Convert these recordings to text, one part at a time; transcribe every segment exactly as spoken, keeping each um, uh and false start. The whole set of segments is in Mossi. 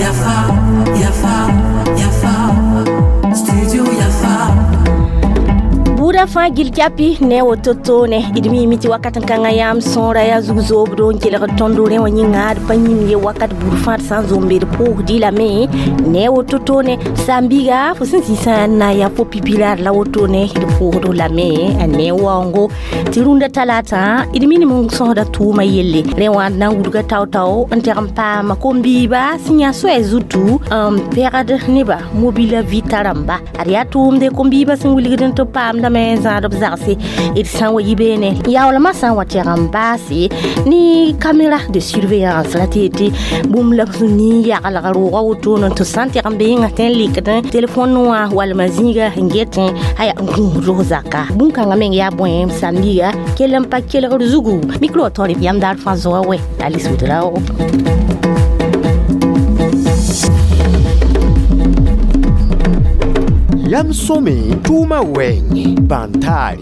Yafa, Yafa, Yafa, Studio Yafa. Buda fãa gil kyapi ne woto ne d miime tɩ wakat n kãngã yãmb sõora yaa zug zoobdo n kelgd tõndo rẽ wã yĩnga d pa yĩm ye wakat buud fãa d sã n zombe d pʋʋsdɩ lame ne woto ne sãn-biiga fo sẽn zĩ sã n na n yaa fo pipi-raad la woto ne d pʋʋsd lame a ne waoongo tɩ rũndã talaatã d minim n sõsda tʋʋmã yelle rẽ wã d na n wudga tao-tao n teg n paama kom-biiba sẽn yã soɛɛ zutu n pɛgd nebã mobila vɩta rãmba ad yaa tʋʋmde kom-biibã sẽn wilgd n tɩ paamdame zãadb zagse d sã n wa yi beene yaoolmã sã n wa tɛg n baase ne caméra de surveillance la tɩ yetɩ bũmb la b sẽn ning yaglg roogã wotone tɩ sã n tɛg n be yĩnga tẽ n lekd telefon wã walma zĩiga n getẽ aya n gũusd zaka bũn-kãngã meng yaa bõe sãn-biiga kell n pa kelgr zugu micro wã taoor yam daar fãa zoa wɛ Alice Ouedraogo. Yam sõme tʋʋmã wɛɛngẽ bãn-taare.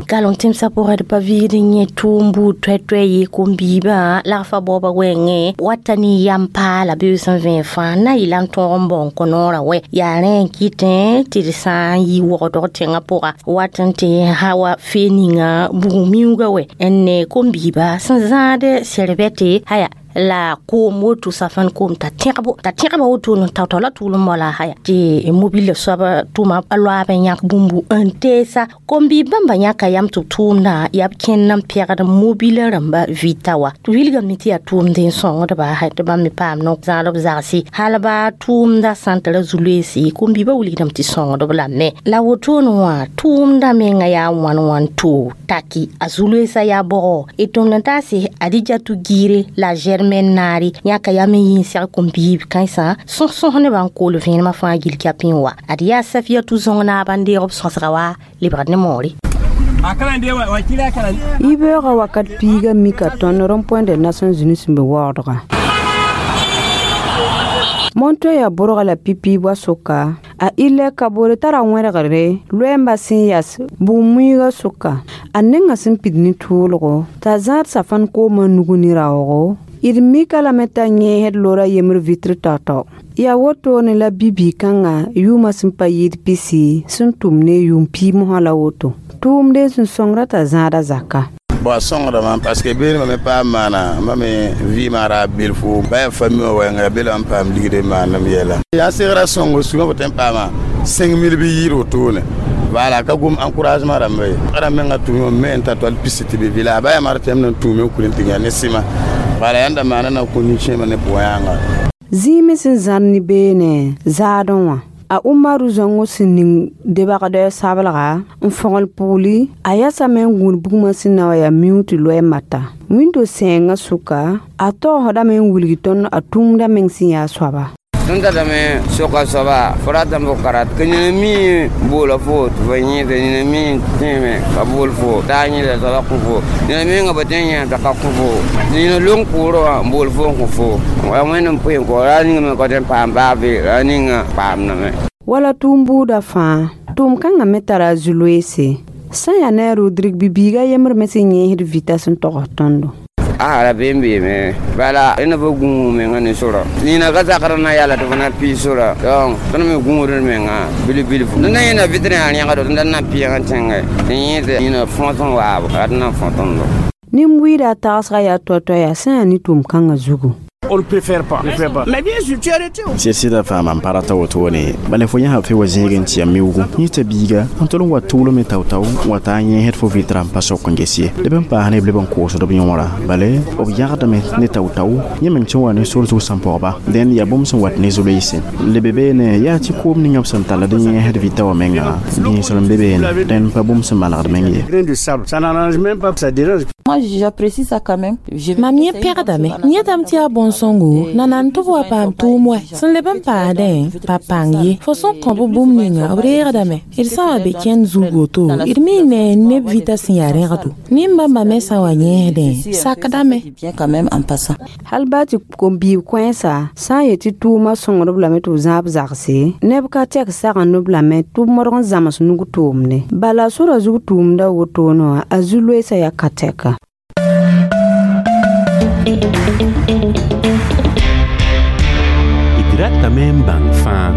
Galon tẽmsã pʋgã d pa vɩɩd n yẽ tʋʋm buud toɛ-toɛ ye kom-biibã lagfã baoobã wɛɛngẽ wata ne yam paala beoog sẽn vẽeg fãa na n yɩla n tõog n bao n kõ noorã wɛ yaa rẽ n kɩtẽ tɩ d sã n yi wogdg tẽngã pʋga wat n tɩ hawa fee ninga bugum miuugã wɛ n ne kom-biibã sẽn zãad sɛrbɛte haya la koom woto safan koom t'a tẽgbo t'a tẽgba woto n tao-tao la tʋʋlem moala haya tɩ mobile soab tʋma a loaab n yãk bũmbu n teesa kom-biib bãmba yãka yam tɩ b tʋʋmdã yaa b kẽnd n pɛgd mobila rãmba vɩta wa tɩ wilgame tɩ yaa tʋʋmd n sõngdba tɩ bãmb me paam no zãadb zagse hal baa tʋʋmda sã n tara zu-loeese kom-biibã wilgdame tɩ sõngdb lame la wotone wã tʋʋmda menga yaa wãn wãn to taki a zu-loeesã yaa bɔgɔ d tʋmd n taase Adijatu Giire la Germaine Naari yãka yaa me yĩn sɛg kom-biib kãensã sõs-sõs nebã n kool vẽenemã fãa gil kyapi n wa ad yaa Safiyatu zõng naab n deeg b sõsga wa lebgd ne moore. Yibeoogã wakat piiga mika tõnd rond-point des Nations Unies sẽn be waoodgã. Montoya bʋrga la pipi wa sʋka a ille kabore tara wẽrgre loɛɛmbã sẽn yas bʋg-muiigã sʋka a nengã sẽn pid ne tʋʋlgo t'a zãad safãn koomã nugu ne raoogo d mika lame t'a yẽesd lora yembr vitre tao-tao yaa wotone la bi-bii-kãngã yʋʋmã sẽn pa yɩɩd pisi sẽn tʋm ne yʋʋm piig mosã la woto tʋʋmde sẽn sõngra t'a zãada zaka. Bon, sõngdame parce que beene mam me paam maana ma me vɩɩmã ra belfo ba yaa famille wã wɛɛnga bela n paam ligd n maandem yɛla yaa segra sõngo sugã fo tõe n paama cinq mille bɩ yɩɩd wotone voilà ka gom encouragement rãmba ye rãmb menga tʋʋme me n ta toal pisi tɩ be vɩla ba yaa mar tɩ yãmb na n tũume n kul n tɩ yã ne sɩma voilà yãmb da maana na kõ nin-kẽemã ne pʋgã yãnga. Zĩime sẽn zãr ne beene zaadẽ wã a Umaru zãngo sẽn ning debagdɛ sabelga n fõgl pugli a yasame n gũud bugmã sẽn na wa yaa miuug tɩ loɛɛ mata wĩndo sɛɛngã sʋka a taoosdame n wilg tõnd a tũumda meng sẽn yaa soaba. Tõnd tatame soka soaba fo ratame fo karat ka nina mi boola fo tɩ fo yẽeda nina mi tẽeme ka bool fo taa yẽeda soaba kõ fo nina menga ba tẽ yã t'a ka kõ fo nina long pʋʋrã wã n bool fo n kõ fo wa wẽnd n pʋɩ n kõ ra ninga me ka tõe n paam baa be ra ninga paamdame. Wala tʋʋm buudã fãa tʋʋm kãngã me tara a zu-loeese sã n yaa ne a Rodrigue bibiiga yembr me sẽn yẽesd vita sẽn togs tõndo. A ra been beeme bala rẽnd fo gũus menga ne sora nina ka zakr na yala tɩ fo na pii sora donc tõnd me gũusd menga bilf-bilfu tõnd na yẽna vitre yaa rẽgdo tõnd na pɩɩg n tẽnge tɩ yẽed nina fõs n waabo rat na fõ tõndo. Nin-buiidã tagsga yaa toa-toa yaa sã n yaa ne tʋʋm kãngã zugu. On ne préfère pas. Préfère pas. Mais bien sûr, tu es arrêté. Sɩd-sɩdã fãa mam pa rata wotone bala fo yãsb fe wa zẽeg n tɩ ya miuugu yẽ t'a biiga n tol n wa tʋʋlem me tao-tao n wa taa yẽesd fo vɩtra n pa sok n ges ye leb n paas ne b leb n koosd b yõora bale b yãgdame ne tao-tao yẽ meng sẽn wa ne sor zug sẽn pɔgba dẽn yaa bũmb sẽn wat ne zu-loeese lebe beene yaa tɩ koom ninga b sẽn talld n yẽesd vɩta wã menga gĩisr n be beene dẽn pa bũmb sẽn manegd meng ye. Grain de sable. Ça n'arrange même pas, ça dérange. Moi, j'apprécie ça quand même. Mam yẽ pẽgdame yẽdame tɩ yaa bõn-sõngo nanan tɩ b wa paam tʋʋm wɛ sẽn leb n paadẽ pa pãng ye fo sẽn kõ b bũmb ninga b reegdame d sã n wa be kẽnd zug woto d mi ne neb vɩta sẽn yaa rẽgdo nin-bãmbã me sã n wa yẽesdẽ sakdame. Bien quand même en passant. Hal baa tɩ kom-biib kõensa sã n yet tɩ tʋʋmã sõngdb lame tɩ b zãab zagse neb ka tɛk sagend-b lame tɩ b modg n zãms nug tʋʋmde bala sora zug tʋʋmda wotone wã a zu-loeesã yaa ka tɛka. D ratame n bãng fãa.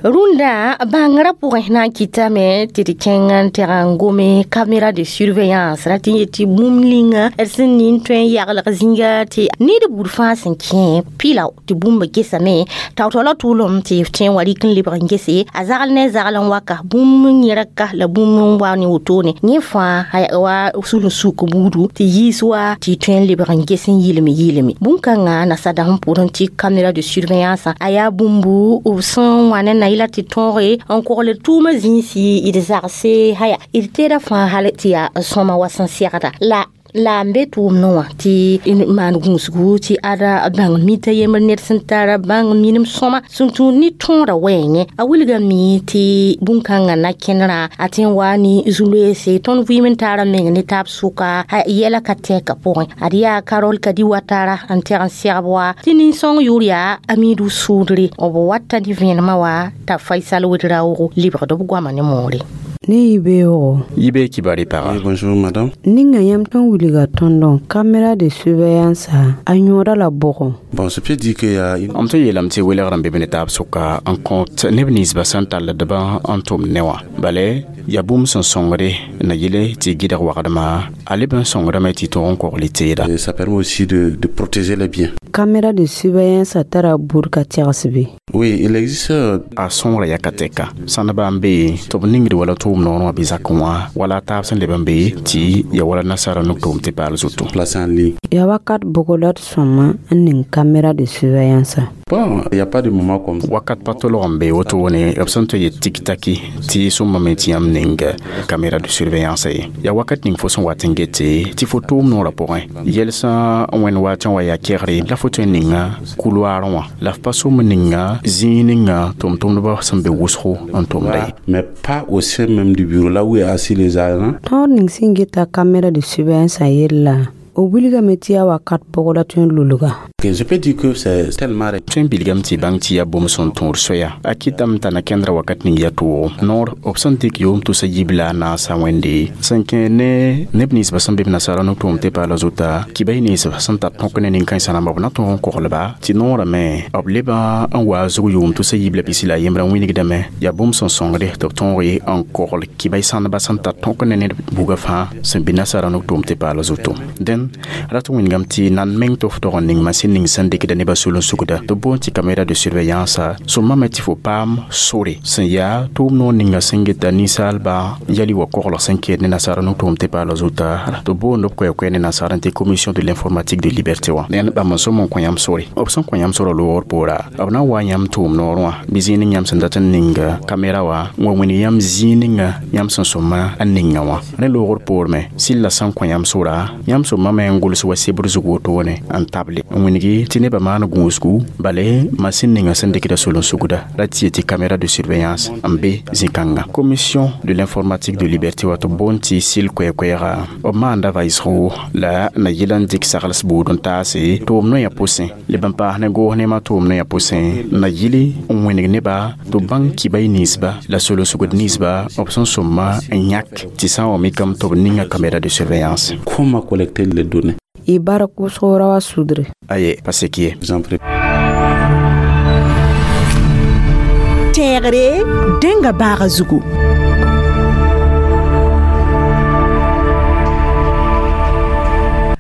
Rũndã bãngrã pʋgẽ na n kɩtame tɩ d kẽng n tɛg n gome caméra de surveillance ra tɩ n yet tɩ bũmb ninga d sẽn nin tõe n yaglg zĩiga tɩ ned buud fãa sẽn kẽ pɩla tɩ bũmb gesame tao-tao la tʋʋlem tɩ f tõe n wa rɩk n lebg n gese a zagl ne zagl n waka bũmb n yẽrka la bũmb n wa ne wotone yẽ fãa wa sul n suk buudu tɩ yiis wa tɩ tõe n lebg n ges n yɩlem yɩleme bũn-kãngã nasada sẽn pʋʋrẽ tɩ caméra de surveillance a yaa bũmbu b sẽn wa ne na yɩla tɩ tõoge n kogl tʋʋmã zĩisi d zagse haya d teeda fãa hal tɩ yaa sõma wa sẽn segda la la n be tʋʋmdẽ wã tɩ maan gũusgu tɩ ada bãng mita yembr ned sẽn tara bãng minim sõma sẽn tũud ne tõoda wɛɛngẽ a wilgame tɩ bũn-kãngã na kẽnerã a tẽ n waa ne zu-loeese tõnd vɩɩm n taara meng ne taab sʋka yɛla ka tɛka pʋgẽ ad yaa Karol Kadi Watara n tɛg n segb wa tɩ nin-sõng yʋʋr yaa Amidu Sʋʋdre b wata ne vẽenemã wa t'a Faisal Wedraoogo lebgd b goama ne moore. Ne yibeoogo. Yibe kibari paga. Oui, bonjour madame. Ninga yãmb tõnd wilga tõndõ caméra de surveillance a yõoda la bʋgõ. Bon, je peux dire qu'il y a une... M tõe yeelame tɩ welgr n be be ne taab sʋka n kõt neb ninsbã sẽn talldbã n tʋm ne wã bale yaa bũmb sẽn sõngde na yɩle tɩ gɩdg wagdmã a leb n sõngdame tɩ tõog n kogl teeda. Et ça permet aussi de, de protéger les biens. Caméra de surveillance tara buud ka tɛgs be. Oui, il existe a sõngra yaa ka tɛka sãndbã n be tɩ b ningd wala tʋʋm noor wã bɩ zakẽ wã wala taab sẽn leb n be tɩ ya wala nasaara nuk tʋʋm tɩ paal zutu. Placé en ligne. Yaa wakat bʋgo la d sõma n ning caméra de surveillance. Bon, il n'y a pas de moment comme ça. Wakat pa tolg n be wotone b sẽn tõe yet tik-taki tɩ sõmbame tɩ yãmb ning caméra de surveillance ye yaa wakat ning fo sẽn wat n gete tɩ fo tʋʋm noorã pʋgẽ yɛlsã wẽnd waatẽ wa yaa kegre la fo tõe n ninga couloir wã la f pa sõm ninga zĩig ninga tʋm-tʋmdbã sẽn be wʋsgo n tʋmda ye. Mais pas au sein même du bureau, là où est assis les agents. Tõod ning sẽn geta caméra de surveillance yella b wilgame tɩ yaa wakat bʋg la tõe n lulga. Je peux dire que c'est tellement tõe n bilgame tɩ bãng tɩ yaa bũmb sẽn tõod soya a kɩtame t'a na kẽndra wakat ning yaa tʋʋgo noor b sẽn dɩk yoom tʋsa yibla a naasa wẽnde sẽn kẽ ne neb ninsbã sẽn be b nasaara no-tʋʋm tɩ paala zuta kibay ninsbã sẽn tar tõk ne nin-kãensã rãmba b na tõog n koglba tɩ noorame b leba n wa zug yoom tʋsa yibla pisi la a yembrã wĩnigdame yaa bũmb sẽn sõngde tɩ b tõoge n kogl kibay sãndbã sẽn tar tõk ne ned buga fãa sẽn bɩ nasaara no-tʋʋm tɩ paala zuto dẽn rat wĩngame tɩ nan meng tɩ f tog n ning masin ning sẽn dɩkda nebã sul n sugda tɩ boond tɩ caméra de surveillance sõmame tɩ fo paam sore sẽn yaa tʋʋm noor ninga sẽn geta ninsaalba yali wa koglg sẽn keed ne nasaara no-tʋʋm tɩ paala zuta tɩ boond b koɛɛ-koɛɛ ne nasaar n tɩ commission de l'informatique de liberté wã dẽn bãmb n sõm n kõ yãmb sore b sẽn kõ yãmb sorã loogr poora b na n wa yãmb tʋʋm noor wã bɩ zĩig ning yãmb sẽn dat n ning caméra wã n wa wĩnig yãmb zĩig ninga yãmb sẽn sõma n ninga wã rẽ loogr poorme sɩlla sẽn kõ yãmb sora yãmb sõmame n gʋls wa sebr zug wotone n table n wĩngi tɩ nebã maan gũusgu bale masin ninga sẽn dɩkda sol n sugda ra tɩ tɩ caméra de surveillance n be zĩ-kãnga commission de l'informatique de liberté wa tɩ boond tɩ sɩl koɛɛ-koɛɛga b maanda vaɩsgo la na yɩl n dɩk sagls buud n taase tʋʋm noyã pʋsẽ leb n paas ne goos nemã tʋʋm noyã pʋsẽ na yɩl n wĩnig neba tɩ b bãng kibay ninsba la sol n sugd ninsba b sẽn sõma n yãk tɩ sã n wa mikame tɩ b ninga caméra de surveillance. Comment collecter les données? Y bark wʋsg ra wa sudre. Aye, pa sek ye. Exemple. Tẽegre dẽnga baaga zugu.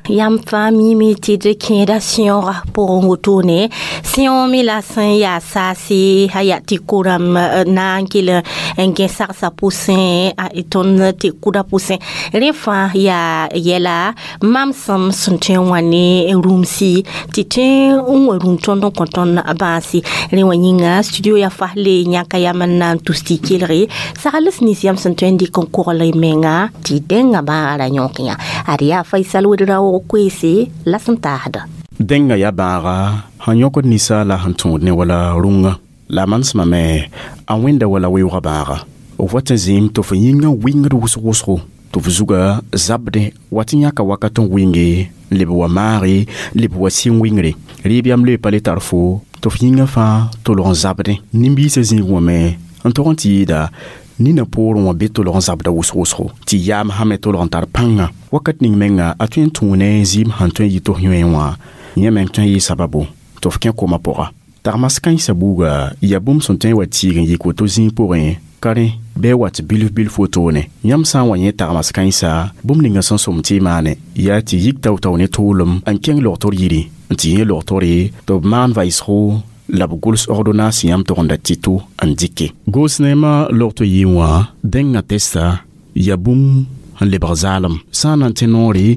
Yãmb fãa miime tɩ d kẽeda sẽoogã pʋgẽ wotone sẽoog me la sẽn yaa saase a yaa tɩ koram na n kell n gẽ sagsã pʋsẽ tõnd tɩ kʋda pʋsẽ rẽ fãa yaa yɛla mamsem sẽn tõe n wã ne rũmsi tɩ tõe n wa rũm tõnd n kõ tõnd bãase rẽ wã yĩnga studio ya fasle yãka yam n na n tus tɩ kelge sagls nins yãmb sẽn tõe n dɩk n kogl y menga tɩ dẽngã bãaga ra yõk yã ad yaa Faisal Wedraoogo koeese la sẽn taasda. Dẽngã yaa bãaga sẽn yõkd ninsaala sẽn tũud ne wala rũngã la a manesmame a wẽnda wala weoogã bãaga f wat n zĩim tɩ f yĩngã wɩngd wʋsg wʋsgo tɩ f zuga zabdẽ wat n yãka wakat n wɩnge n leb wa maage leb wa sɩng wɩngre rɩɩb yam loe pa le tar fo tɩ f yĩngã fãa tolg n zabdẽ nin-biisã zĩig wã me n tog n tɩ yɩɩda Nina poorẽ wã be tolg n zabda wʋsg-wʋsgo tɩ yaam sã me tolg n tar pãnga wakat ning menga a tõe n tũu ne zɩɩm sẽn tõe n yɩ tɩ f yõe wã yẽ meng tõe n yɩ sababu tɩ f kẽ koma pʋga tagmas kãensã buuga yaa bũmb sẽn tõe n wa tiig n yik woto zĩig pʋgẽ ka rẽ bɩ wat bilf bilf wotone yãmb sã n wa yẽ tagmas kãensa bũmb ninga sẽn sõm tɩ y maane yaa tɩ yik tao-tao ne tʋʋlem n kẽng logtr yiri n tɩ yẽ logtore tɩ b maan vaɩsgo la b gʋls ordonnance yãmb togenda tɩto n dɩke goos neemã logto yɩ wã dẽngã testa yaa bũmb n lebg zaalem sã n na n tẽ noore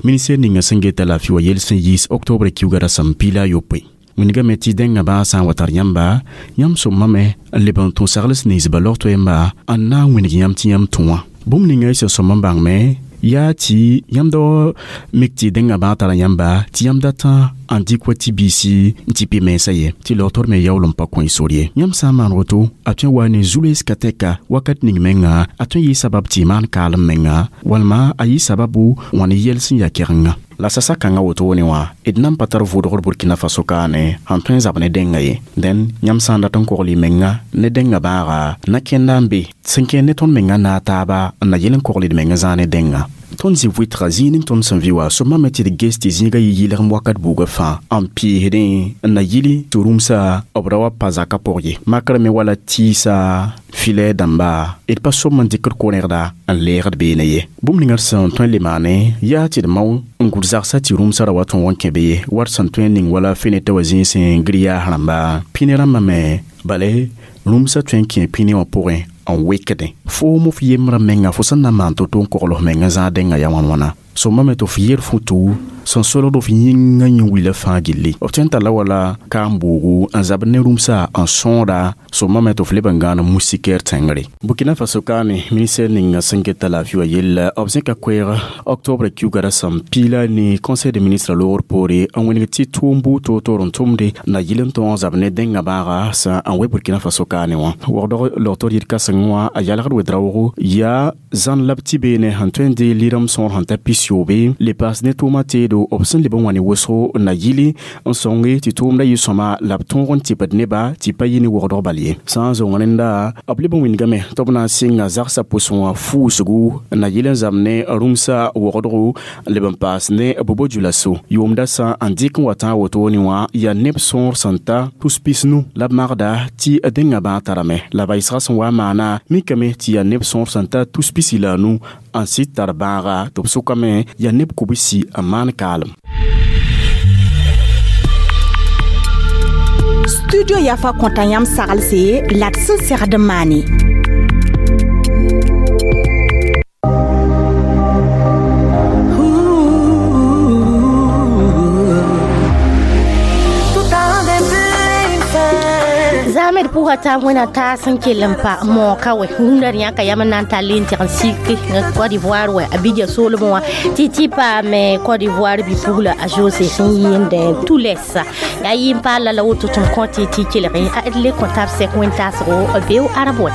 ministɛr ninga sẽn geta laafɩ wa yel sẽn yiis octobre kiuga rasem piila a yopoe wingame tɩ dẽngã bãag sã n wa tar yãmba yãmb sõmame n leb n tũ sagls ninsba logto yẽmba n na n wĩneg yãmb tɩ yãmb tũ wã bũmb ninga y sẽn sõm n bãngme yaa tɩ yãmb da mik tɩ dẽngã bãag tara yãmba tɩ yãmb datã n dɩk wa tɩ biisi n tɩ pɩ mensã ye tɩ logtr me yaool n pa kõ y sor ye yãmb sã n maan woto a tõe n wa ne zu-loees ka tɛka wakat ning menga a tõe n yɩ sabab tɩ y maan kaalem menga walma a yɩ sababu wã ne yɛl sẽn yaa kɛgenga la sasa kãngã wotone wã d nan pa tar vʋʋdgr Burkina Faso kaane sẽn tõe n zab ne dẽnga ye dẽn yãmb sã n dat n kogl y menga ne dẽngã bãaga na kẽnda n be sẽn kẽer ne tõnd menga naag taaba n na yel n kogl d menga zãag ne dẽnga tõnd zĩ vɩtga zĩig ning tõnd sẽn vɩ wa sõmame tɩ d ges tɩ zĩigã yɩ yɩlgem wakat buugã fãa n pɩɩsdẽ n na yɩli tɩ rũmsa b ra wa pa zakã pʋg ye makr me wala tɩɩsa filɛ dãmba d pa sõm n dɩkd ko-rẽgda n leegd beene ye bũmb ninga d sẽn tõe n le maane yaa tɩ d mao n gʋd zagsã tɩ rũmsã ra wa tõog n kẽ be ye wat sẽn tõe n ning wala fenetã wa zĩig sẽn gɩr yaas rãmba pĩne rãmbã me bale rũmsã tõe n kẽ pĩne wã pʋgẽ n wekdẽ foom f yembrã menga fo sẽn na n maan to-to n kogl f menga zãag dẽngã yaa wãn-wãna sõmame tɩ f yer futu sẽn solgd f yĩngã yẽ-wila fãa gilli f tõe n talla wala kaam-boogu n zabd ne rũmsa n sõoda sõmame tɩ f leb n gãan moustiquaire tẽngre Burkina Faso kaane ministɛr ninga sẽn geta laafɩ wã yella b zẽka koɛɛg octobre kiuga rasem piila ne conseil de ministre loogr poore n wẽneg tɩ tʋʋm buud toor-toor n tʋmde na yɩl n tõog n zab ne dẽngã bãaga sã n we Burkina Faso kaane wã wagdg logtr yir kãseng wã a yalgd wedraoogo yaa zãn la b tɩ beene sẽn tõe n dee lɩrem sõor sẽn ta pis-yoobe le paas ne tʋʋmã teedo b sẽn leb n wa ne wʋsgo na yɩli n sõnge tɩ tʋʋmdã yɩ sõma la b tõog n tɩpd neba tɩ pa yɩ ne wogdg bal ye sã n zõng rẽnda b leb n wĩndgame tɩ b na n sɩnga zagsã pʋsẽ wã fuusgu na yɩl n zam ne rũmsã wogdgo leb n paas ne bobo djulaso yʋʋmda sã n dɩk n wa tã wotone wã yaa neb sõor sẽn ta tus pis-nu la b magda tɩ dẽngã bãag tarame la vaɩsgã sẽn wa n maana mikame tɩ yaa neb sõor sẽn ta tus pisi la a nu n sɩd tar bãaga tɩ b sʋkame yaa neb kobsi n maan kaalem. Studio Yafa kõta yãmb saglse la d sẽn segd n maane. Zamed pʋga t'a wẽna taas n kell n pa moka wɛ rũndã yãka yam n na n tall n tɩg n sik Côte d'Ivoire wɛ Abidjan soolmẽ wã tɩ tɩ paame Côte d'Ivoire bi-pugla a José sẽn yɩɩnd Toules yaa yɩ n paal la la woto tɩ m kõ tɩ tɩ kelg d le kõ tab sɛk wẽn-taasgo beo arab wɛ.